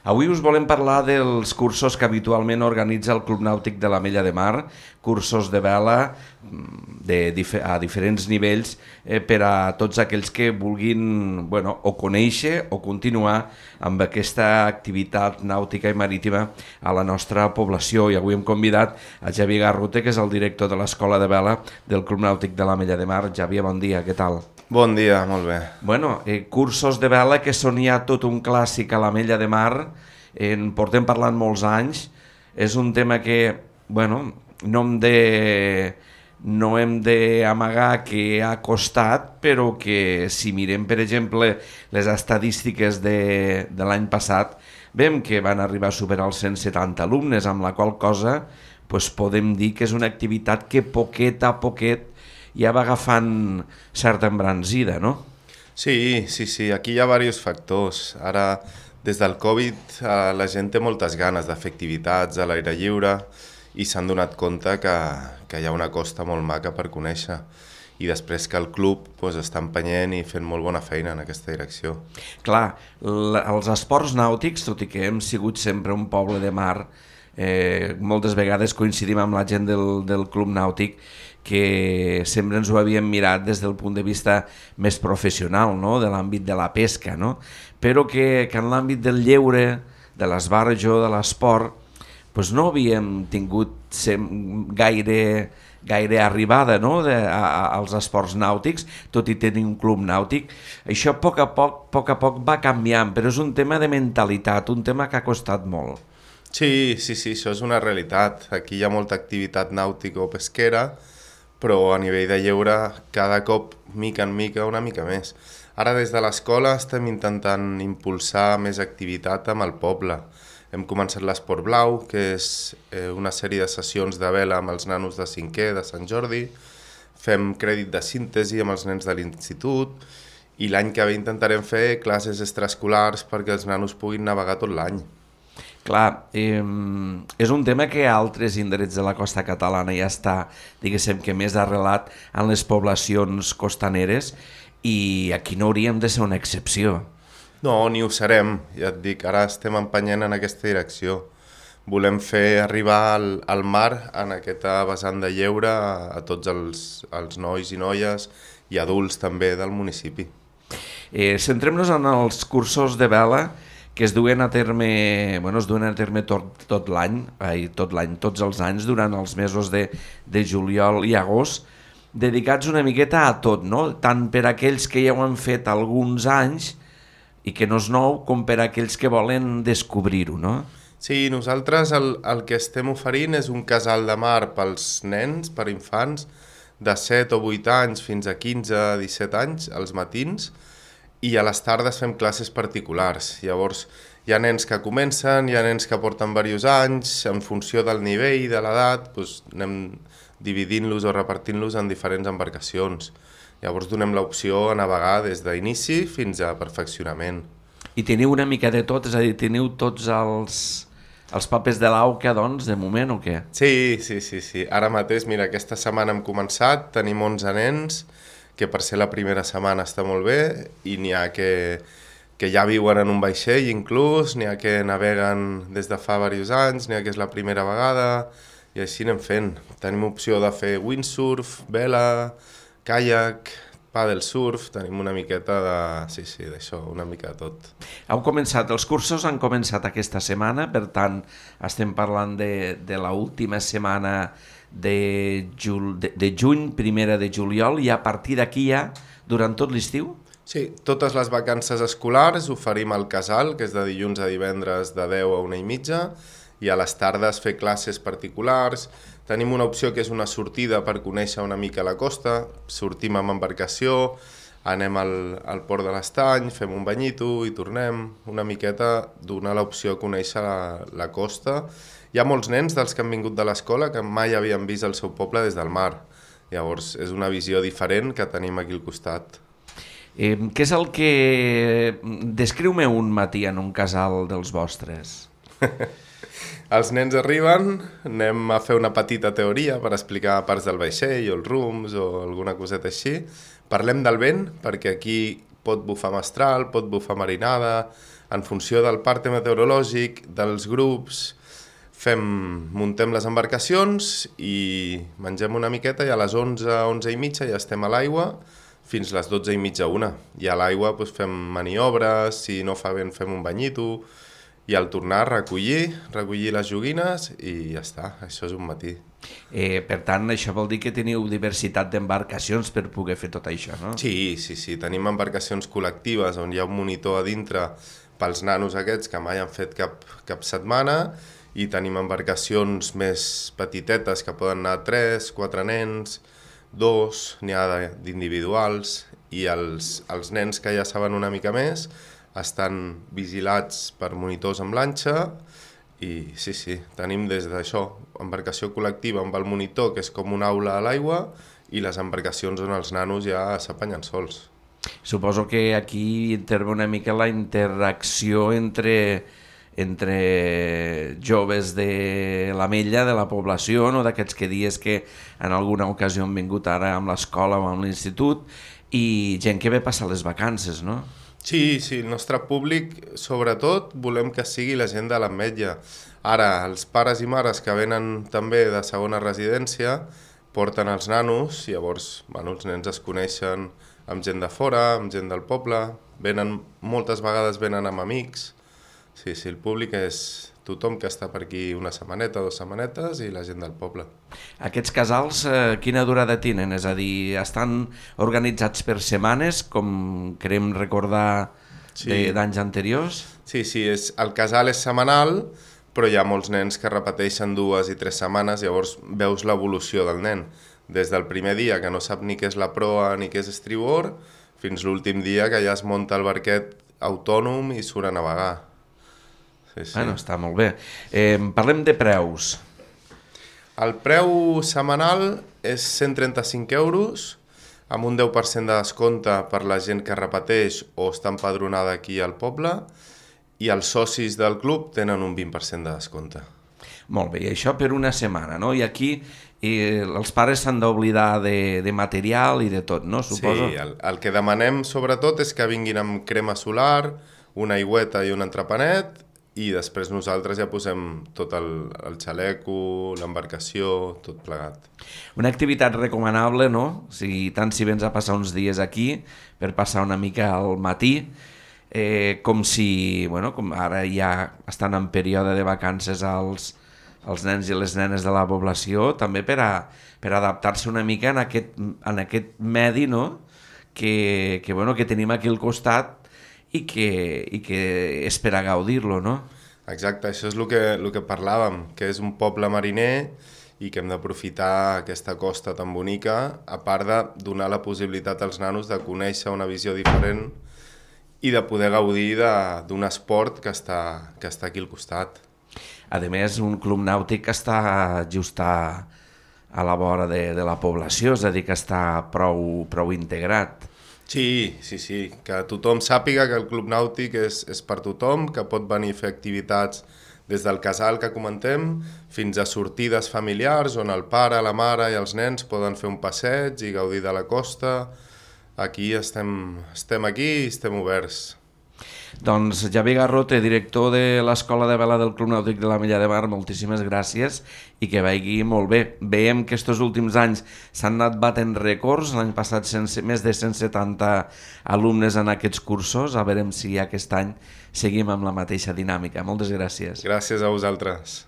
Avui us volem parlar dels cursos que habitualment organitza el Club Nàutic de l'Ametlla de Mar, cursos de vela a diferents nivells per a tots aquells que vulguin o conèixer o continuar amb aquesta activitat nàutica i marítima a la nostra població. I avui hem convidat a Xavier Garrute, que és el director de l'Escola de Vela del Club Nàutic de l'Ametlla de Mar. Xavier, bon dia, què tal? Bon dia, molt bé. Cursos de vela que són ja tot un clàssic a l'Ametlla de Mar, en portem parlant molts anys, és un tema que, no hem d'amagar que ha costat, però que si mirem, per exemple, les estadístiques de l'any passat, veiem que van arribar a superar els 170 alumnes, amb la qual cosa podem dir que és una activitat que poquet a poquet ja va agafant certa embranzida, no? Sí, aquí hi ha diversos factors. Ara, des del Covid, la gent té moltes ganes de fer activitats a l'aire lliure i s'han donat compte que hi ha una costa molt maca per conèixer. I després que el club està empenyent i fent molt bona feina en aquesta direcció. Clar, els esports nàutics, tot i que hem sigut sempre un poble de mar, moltes vegades coincidim amb la gent del club nàutic, que sempre ens ho havíem mirat des del punt de vista més professional, no? De l'àmbit de la pesca, no? Però que en l'àmbit del lleure, de l'esbarjo, de l'esport, no havíem tingut gaire arribada, no? als esports nàutics, tot i tenir un club nàutic. Això a poc a poc va canviant, però és un tema de mentalitat, un tema que ha costat molt. Sí, això és una realitat. Aquí hi ha molta activitat nàutica o pesquera, però a nivell de lleure cada cop, mica en mica, una mica més. Ara des de l'escola estem intentant impulsar més activitat amb el poble. Hem començat l'Esport Blau, que és una sèrie de sessions de vela amb els nanos de 5è de Sant Jordi. Fem crèdit de síntesi amb els nens de l'institut i l'any que ve intentarem fer classes extraescolars perquè els nanos puguin navegar tot l'any. Clar, és un tema que a altres indrets de la costa catalana ja està, diguéssim, que més arrelat en les poblacions costaneres i aquí no hauríem de ser una excepció. No, ni ho serem, ja et dic, ara estem empenyent en aquesta direcció. Volem fer arribar al mar en aquesta vessant de lleure a tots els nois i noies i adults també del municipi. Centrem-nos en els cursos de vela que es duen a terme tot l'any, tots els anys, durant els mesos de juliol i agost, dedicats una miqueta a tot, no? Tant per a aquells que ja ho han fet alguns anys i que no és nou, com per a aquells que volen descobrir-ho, no? Sí, nosaltres el que estem oferint és un casal de mar pels nens, per infants, de 7 o 8 anys fins a 15-17 anys, als matins, i a les tardes fem classes particulars. Llavors hi ha nens que comencen, hi ha nens que porten diversos anys, en funció del nivell, de l'edat, anem dividint-los o repartint-los en diferents embarcacions. Llavors donem l'opció a navegar des d'inici fins a perfeccionament. I teniu una mica de tot, és a dir, teniu tots els papers de l'AUCA, doncs, de moment, o què? Sí. Ara mateix, mira, aquesta setmana hem començat, tenim 11 nens, que per ser la primera setmana està molt bé, i n'hi ha que ja viuen en un vaixell inclús, n'hi ha que naveguen des de fa diversos anys, n'hi ha que és la primera vegada, i així anem fent. Tenim opció de fer windsurf, vela, caiac, paddle surf, tenim una miqueta d'això, una mica de tot. Els cursos han començat aquesta setmana, per tant, estem parlant de l'última setmana de juny, primera de juliol, i a partir d'aquí ja, durant tot l'estiu? Sí, totes les vacances escolars oferim al casal, que és de dilluns a divendres de 10 a 1:30, i a les tardes fer classes particulars. Tenim una opció que és una sortida per conèixer una mica la costa, sortim amb embarcació, anem al port de l'Estany, fem un banyito i tornem, una miqueta donar l'opció a conèixer la costa. Hi ha molts nens dels que han vingut de l'escola que mai havien vist el seu poble des del mar. Llavors és una visió diferent que tenim aquí al costat. Què és el que... Descriu-me un matí en un casal dels vostres. Els nens arriben, anem a fer una petita teoria per explicar parts del vaixell o els rums o alguna coseta així. Parlem del vent, perquè aquí pot bufar mestral, pot bufar marinada, en funció del parte meteorològic, dels grups, muntem les embarcacions i mengem una miqueta i a les 11, 11 i mitja ja estem a l'aigua fins les 12 i mitja, 1. I a l'aigua fem maniobres, si no fa vent fem un banyito i al tornar recollir les joguines i ja està, això és un matí. Per tant, això vol dir que teniu diversitat d'embarcacions per poder fer tot això, no? Sí, tenim embarcacions col·lectives on hi ha un monitor a dintre pels nanos aquests que mai han fet cap setmana i tenim embarcacions més petitetes que poden anar 3, 4 nens, 2, n'hi ha d'individuals i els nens que ja saben una mica més estan vigilats per monitors amb lanxa i sí, tenim des d'això, embarcació col·lectiva amb el monitor, que és com una aula a l'aigua, i les embarcacions on els nanos ja s'apanyen sols. Suposo que aquí intervé una mica la interacció entre joves de l'Ametlla, de la població, no? D'aquests que dies que en alguna ocasió han vingut ara amb l'escola o amb l'institut, i gent que ve passar les vacances, no? Sí, el nostre públic, sobretot, volem que sigui la gent de l'Ametlla. Ara, els pares i mares que venen també de segona residència porten els nanos, i llavors els nens es coneixen amb gent de fora, amb gent del poble, moltes vegades venen amb amics. Sí, el públic és tothom que està per aquí una setmaneta, 2 setmanetes i la gent del poble. Aquests casals quina durada tenen? És a dir, estan organitzats per setmanes, com querem recordar d'anys anteriors? Sí, el casal és setmanal, però hi ha molts nens que repeteixen 2 i 3 setmanes, llavors veus l'evolució del nen. Des del primer dia, que no sap ni què és la proa ni què és estribord, fins l'últim dia que ja es munta el barquet autònom i surt a navegar. Sí. Bueno, està molt bé. Parlem de preus. El preu setmanal és 135 euros, amb un 10% de descompte per la gent que repeteix o està empadronada aquí al poble, i els socis del club tenen un 20% de descompte. Molt bé, i això per una setmana, no? I aquí els pares s'han d'oblidar de material i de tot, no? Suposo. Sí, el que demanem sobretot és que vinguin amb crema solar, una aigüeta i un entrepanet, i després nosaltres ja posem tot el xaleco, l'embarcació, tot plegat. Una activitat recomanable, no? Tant si vens a passar uns dies aquí, per passar una mica al matí, com ara ja estan en període de vacances els nens i les nenes de la població, també per adaptar-se una mica en aquest medi, no? que tenim aquí al costat, i que és per a gaudir-lo, no? Exacte, això és el que parlàvem, que és un poble mariner i que hem d'aprofitar aquesta costa tan bonica, a part de donar la possibilitat als nanos de conèixer una visió diferent i de poder gaudir d'un esport que està aquí al costat. A més, un club nàutic que està just a la vora de la població, és a dir, que està prou integrat. Sí, que tothom sàpiga que el club nàutic és per tothom, que pot venir a fer activitats des del casal que comentem fins a sortides familiars on el pare, la mare i els nens poden fer un passeig i gaudir de la costa. Aquí estem aquí i estem oberts. Doncs Javier Garrote, director de l'Escola de Vela del Club Nàutic de l'Ametlla de Mar, moltíssimes gràcies i que vagi molt bé. Veiem que estos últims anys s'han anat batent rècords, l'any passat més de 170 alumnes en aquests cursos, a veurem si aquest any seguim amb la mateixa dinàmica. Moltes gràcies. Gràcies a vosaltres.